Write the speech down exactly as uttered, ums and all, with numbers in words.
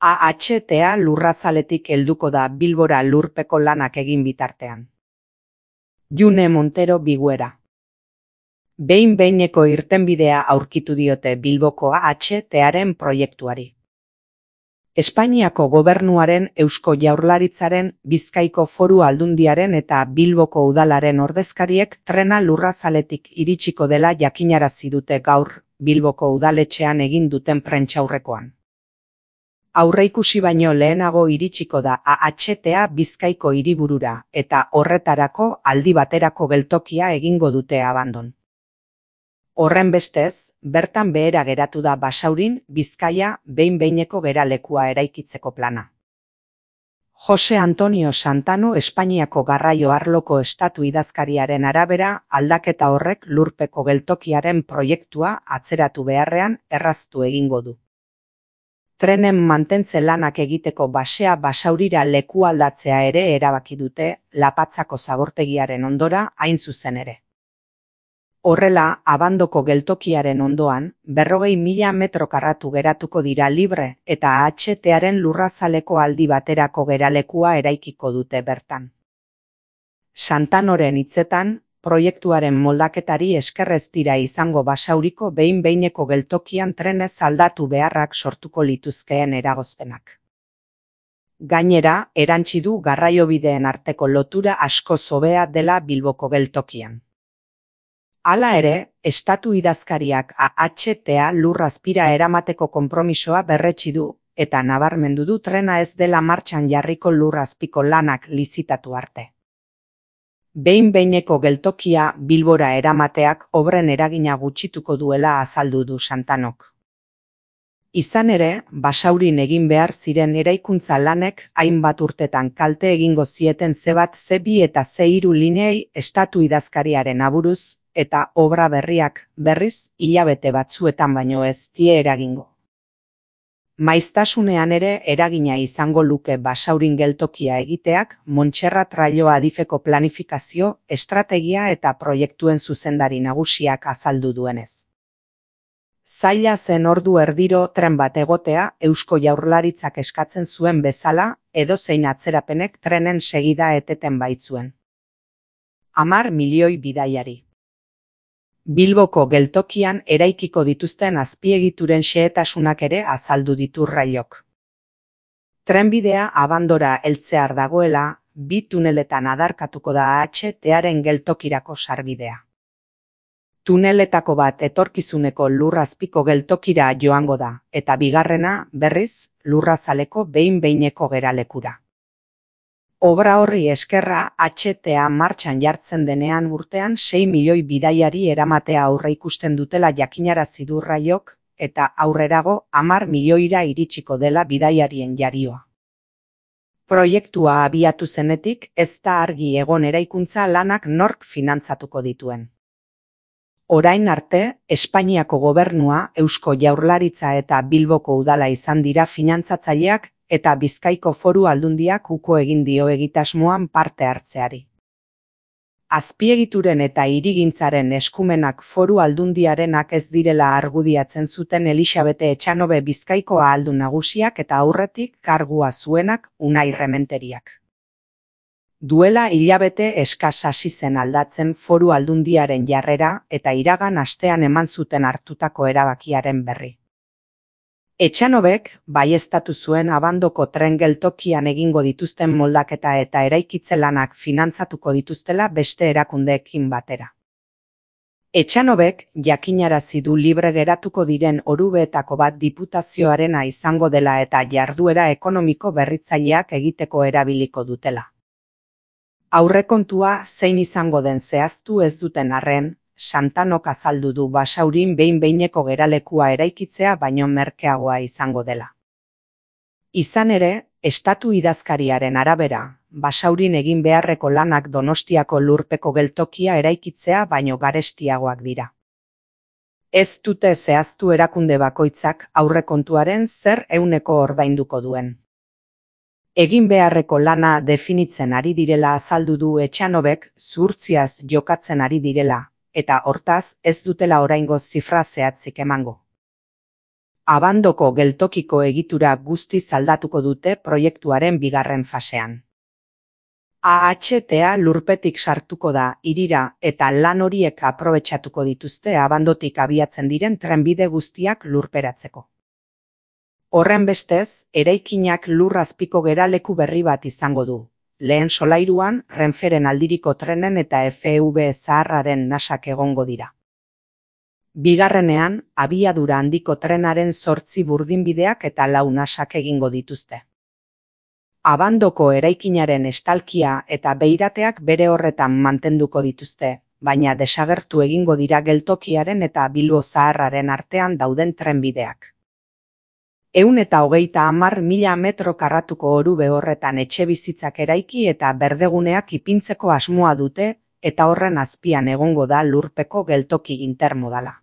A H T A Lurrazaletik helduko da Bilbora lurpeko lanak egin bitartean. June Montero Biguera. Behin-behineko irtenbidea aurkitu diote Bilboko A H T Aren proiektuari. Espainiako gobernuaren, Eusko Jaurlaritzaren, Bizkaiko Foru Aldundiaren eta Bilboko udalaren ordezkariek trena Lurrazaletik iritsiko dela jakinarazi dute gaur, Bilboko udaletxean egin duten prentsaurrekoan. Aurreikusi baino lehenago iritsiko da A H T A Bizkaiko hiriburura eta horretarako aldi baterako geltokia egingo dute Abandon. Horrenbestez, bertan behera geratu da Basaurin, Bizkaia, behin-behineko geralekua eraikitzeko plana. Jose Antonio Santano Espainiako garraio arloko estatu idazkariaren arabera, aldaketa horrek lurpeko geltokiaren proiektua atzeratu beharrean erraztu egingo du. Trenen mantentze lanak egiteko basea Basaurira leku aldatzea ere erabaki dute, Lapatzako zabortegiaren ondora hain zuzen ere. Horrela, Abandoko geltokiaren ondoan, berrogei mila metro karratu geratuko dira libre eta A H T Aren Lurrazaleko aldi baterako geralekua eraikiko dute bertan. Santanoren hitzetan, proiektuaren moldaketari esker ez dira izango Basauriko behin-behineko geltokian trenez aldatu beharrak sortuko lituzkeen eragozpenak. Gainera, erantsi du garraiobideen arteko lotura asko hobea dela Bilboko geltokian. Hala ere, estatu idazkariak A H T A Lurrazpira eramateko konpromisoa berretsi du, eta nabarmendu du trena ez dela martxan jarriko Lurrazpiko lanak lizitatu arte. Behin-behineko geltokia Bilbora eramateak obren eragina gutxituko duela azaldu du Santanok. Izan ere, Basaurin egin behar ziren eraikuntza lanek hainbat urtetan kalte egingo zieten ze bat ze bi eta ze hiru lineei estatu idazkariaren aburuz, eta obra berriak, berriz, hilabete batzuetan baino ez die eragingo. Maiztasunean ere eragina izango luke Basaurin geltokia egiteak Montserrat Raio Adifeko planifikazio, estrategia eta proiektuen zuzendari nagusiak azaldu duenez. Zaila zen ordu erdiro tren bat egotea Eusko Jaurlaritzak eskatzen zuen bezala, edozein atzerapenek trenen segida eteten baitzuen. Hamar milioi bidaiari. Bilboko geltokian eraikiko dituzten azpiegituren xehetasunak ere azaldu ditu Raiok. Trenbidea Abandora heltzear dagoela, bi tuneletan adarkatuko da A H T Aren geltokirako sarbidea. Tuneletako bat etorkizuneko Lurrazpiko geltokira joango da, eta bigarrena, berriz, Lurrazaleko behin-behineko geralekura. Obra horri eskerra H T A martxan jartzen denean urtean sei milioi bidaiari eramatea aurreikusten dutela jakinarazi du Raiok, eta aurrerago hamar milioira iritsiko dela bidaiarien jarioa. Proiektua abiatu zenetik ez da argi egon eraikuntza lanak nork finantzatuko dituen. Orain arte, Espainiako gobernua, Eusko Jaurlaritza eta Bilboko udala izan dira finantzatzaileak, eta Bizkaiko Foru Aldundiak uko egin dio egitasmoan parte hartzeari. Azpiegituren eta hirigintzaren eskumenak Foru Aldundiarenak ez direla argudiatzen zuten Elisabete Etxanobe Bizkaiko ahaldun nagusiak eta aurretik kargua zuenak Unai Rementeriak. Duela hilabete eskas hasi zen aldatzen Foru Aldundiaren jarrera eta iragan astean eman zuten hartutako erabakiaren berri. Etxanobek baieztatu zuen Abandoko tren geltokian egingo dituzten moldaketa eta eraikitze lanak finantzatuko dituztela beste erakundeekin batera. Etxanobek jakinarazi du libre geratuko diren orubeetako bat diputazioarena izango dela eta jarduera ekonomiko berritzaileak egiteko erabiliko dutela. Aurrekontua zein izango den zehaztu ez duten arren, Santanok azaldu du Basaurin behin-behineko geralekua eraikitzea baino merkeagoa izango dela. Izan ere, estatu idazkariaren arabera, Basaurin egin beharreko lanak Donostiako lurpeko geltokia eraikitzea baino garestiagoak dira. Ez dute zehaztu erakunde bakoitzak aurrekontuaren zer ehuneko ordainduko duen. Egin beharreko lana definitzen ari direla azaldu du Etxanobek zuhurtziaz jokatzen ari direla, eta hortaz ez dutela oraingo zifra zehatzik emango. Abandoko geltokiko egitura guztiz aldatuko dute proiektuaren bigarren fasean. A H T-a lurpetik sartuko da hirira eta lan horiek aprobetxatuko dituzte Abandotik abiatzen diren trenbide guztiak lurperatzeko. Horren bestez, eraikinak lur azpiko geraleku berri bat izango du. Lehen solairuan, Renferen aldiriko trenen eta F V zaharraren nasak egongo dira. Bigarrenean, abiadura handiko trenaren zortzi burdinbideak eta lau nasak egingo dituzte. Abandoko eraikinaren estalkia eta beirateak bere horretan mantenduko dituzte, baina desagertu egingo dira geltokiaren eta Bilbo zaharraren artean dauden trenbideak. Ehun eta hogeita hamar mila metro karratuko orube horretan etxebizitzak eraiki eta berdeguneak ipintzeko asmoa dute eta horren azpian egongo da lurpeko geltoki intermodala.